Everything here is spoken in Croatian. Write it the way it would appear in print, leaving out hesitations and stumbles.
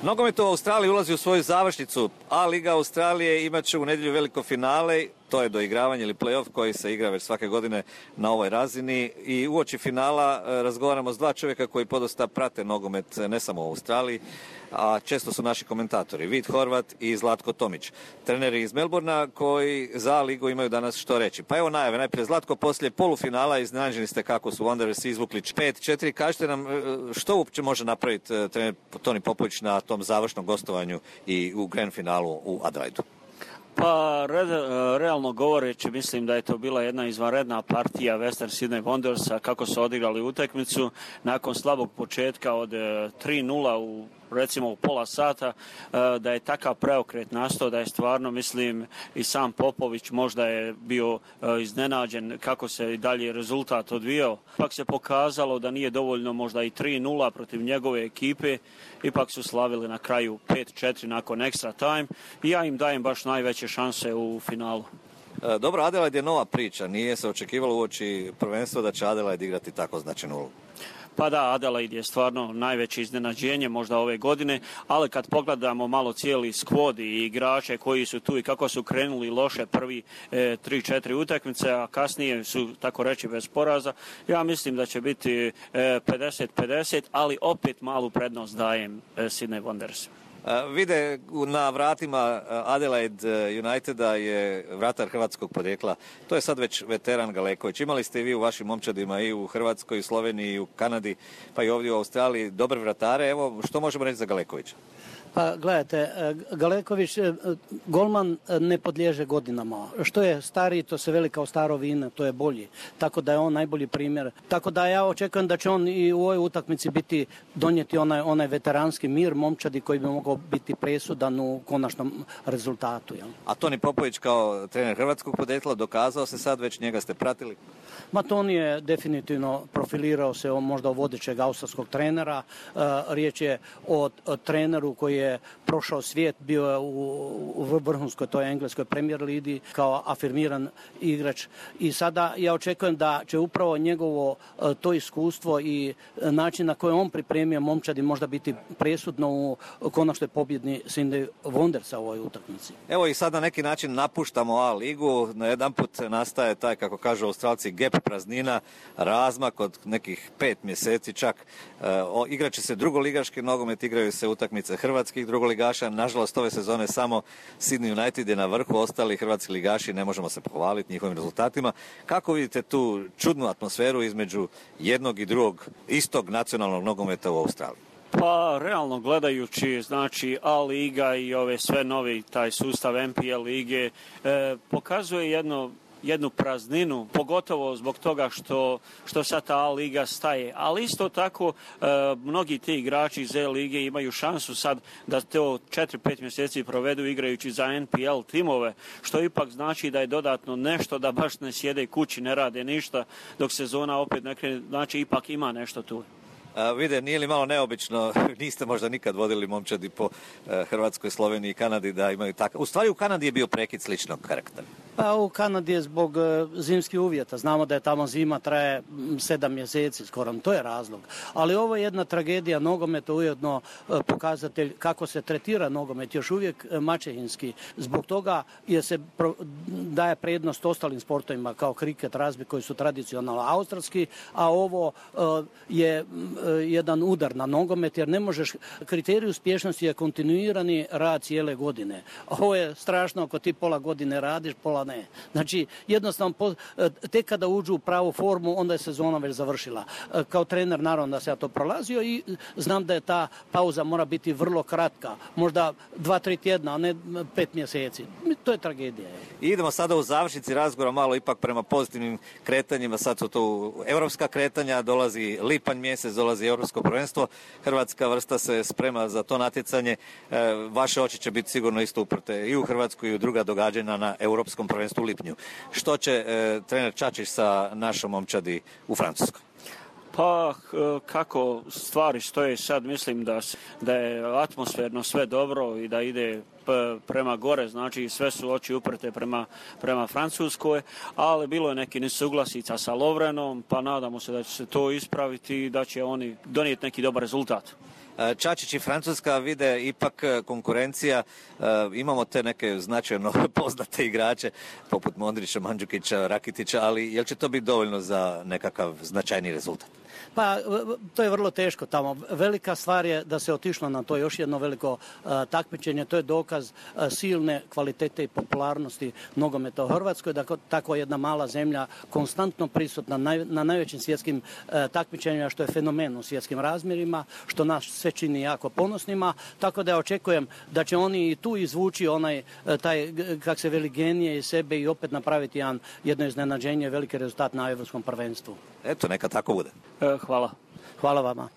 Nogomet u Australiji ulazi u svoju završnicu, a Liga Australije imat će u nedjelju veliko finale, to je doigravanje ili play-off koji se igra već svake godine na ovoj razini i uoči finala razgovaramo s dva čovjeka koji podosta prate nogomet ne samo u Australiji, a često su naši komentatori, Vid Horvat i Zlatko Tomić, treneri iz Melbourna koji za ligu imaju danas što reći. Pa evo najave, najprije Zlatko, poslije polufinala iznenađeni ste kako su Wanderers izvukli 5-4, kažite nam što uopće može napraviti trener Toni Popović na tom završnom gostovanju i u grand finalu u Adelaidu? Pa, realno govoreći, mislim da je to bila jedna izvanredna partija Western Sydney Wanderersa, kako su odigrali utakmicu nakon slabog početka od 3-0 recimo u pola sata, da je takav preokret nastao, da je stvarno, mislim, i sam Popović možda je bio iznenađen kako se i dalje rezultat odvijao. Ipak se pokazalo da nije dovoljno možda i 3-0 protiv njegove ekipe, ipak su slavili na kraju 5-4 nakon extra time i ja im dajem baš najveće šanse u finalu. Dobro, Adelaide je nova priča, nije se očekivalo uoči prvenstva da će Adelaide igrati tako značajnu ulogu. Pa da, Adelaide je stvarno najveće iznenađenje možda ove godine, ali kad pogledamo malo cijeli skvod i igrače koji su tu i kako su krenuli loše prvi 3-4 utakmice, a kasnije su, tako reći, bez poraza, ja mislim da će biti 50-50, ali opet malu prednost dajem Sydney Wanderers. Vide na vratima Adelaide Uniteda je vratar hrvatskog porijekla. To je sad već veteran Galeković. Imali ste i vi u vašim momčadima i u Hrvatskoj, i Sloveniji, i u Kanadi, pa i ovdje u Australiji dobre vratare. Evo, što možemo reći za Galekovića? Pa gledajte, Galeković, golman ne podliježe godinama. Što je stariji, to se veli kao staro vino, to je bolji. Tako da je on najbolji primjer. Tako da ja očekujem da će on i u ovoj utakmici donijeti onaj veteranski mir momčadi koji bi mogao biti presudan u konačnom rezultatu. Jel? A Toni Popović kao trener hrvatskog podrijetla dokazao se sad, već njega ste pratili? Ma Toni je definitivno profilirao se možda od vodećeg australskog trenera. Riječ je o treneru koji je prošao svijet, bio je u vrhunskoj toj engleskoj Premier ligi kao afirmiran igrač i sada ja očekujem da će upravo njegovo to iskustvo i način na koji on pripremio momčadi možda biti presudno u konačnoj pobjedni Sydney Wanderersa u ovoj utakmici. Evo i sad na neki način napuštamo A ligu, na jedan put nastaje taj, kako kažu Australci, gap, praznina, razmak od nekih 5 mjeseci čak. Igraće se drugoligaški nogomet, igraju se utakmice hrvatskih drugoligaša. Nažalost, ove sezone samo Sydney United je na vrhu, ostali hrvatski ligaši ne možemo se pohvaliti njihovim rezultatima. Kako vidite tu čudnu atmosferu između jednog i drugog istog nacionalnog nogometa u Australiji? Pa, realno gledajući, znači, A liga i ove sve novi, taj sustav MPL lige, pokazuje jednu prazninu, pogotovo zbog toga što sad ta A liga staje. Ali isto tako, mnogi ti igrači iz E lige imaju šansu sad da to 4-5 mjeseci provedu igrajući za NPL timove, što ipak znači da je dodatno nešto, da baš ne sjede kući, ne rade ništa, dok sezona opet ne krene, znači ipak ima nešto tu. Vide, nije li malo neobično, niste možda nikad vodili momčadi po Hrvatskoj, Sloveniji i Kanadi da imaju takav. U stvari u Kanadi je bio prekid sličnog karaktera. Pa u Kanadi je zbog zimskih uvjeta. Znamo da je tamo zima traje 7 mjeseci skoro, to je razlog. Ali ovo je jedna tragedija nogometa, ujedno pokazatelj kako se tretira nogomet, još uvijek maćehinski. Zbog toga se daje prednost ostalim sportovima kao kriket, razbi koji su tradicionalno australski, a ovo je jedan udar na nogomet jer ne možeš, kriterij uspješnosti je kontinuirani rad cijele godine. Ovo je strašno ako ti pola godine radiš, pola ne. Znači, jednostavno, tek kada uđu u pravu formu, onda je sezona već završila. Kao trener, naravno da se ja to prolazio i znam da je ta pauza mora biti vrlo kratka. Možda 2-3 tjedna, a ne 5 mjeseci. To je tragedija. I idemo sada u završnici razgovora malo ipak prema pozitivnim kretanjima. Sad su tu europska kretanja, dolazi lipanj mjesec, dolazi europsko prvenstvo. Hrvatska vrsta se sprema za to natjecanje. Vaše oči će biti sigurno isto uprte i u Hrvatsku i u druga događanja na europskom prvenstvu u lipnju. Što će trener Čačić sa našom momčadi u Francuskoj? Pa kako stvari stoje sad, mislim da je atmosferno sve dobro i da ide prema gore, znači sve su oči uprte prema Francuskoj, ali bilo je neki nesuglasica sa Lovrenom, pa nadamo se da će se to ispraviti i da će oni donijeti neki dobar rezultat. Čačić i Francuska vide ipak konkurencija, imamo te neke značajno poznate igrače poput Modrića, Mandžukića, Rakitića, ali jel će to biti dovoljno za nekakav značajni rezultat? Pa to je vrlo teško tamo. Velika stvar je da se otišlo na to još jedno veliko takmičenje. To je dokaz silne kvalitete i popularnosti nogometa u Hrvatskoj. Dakle, tako jedna mala zemlja konstantno prisutna na najvećim svjetskim takmičenjima, što je fenomen u svjetskim razmjerima, što nas sve čini jako ponosnima. Tako da ja očekujem da će oni i tu izvući taj, kak se veli, genije iz sebe i opet napraviti jedno iznenađenje, veliki rezultat na Europskom prvenstvu. Eto, neka tako bude. Hvala. Hvala vama.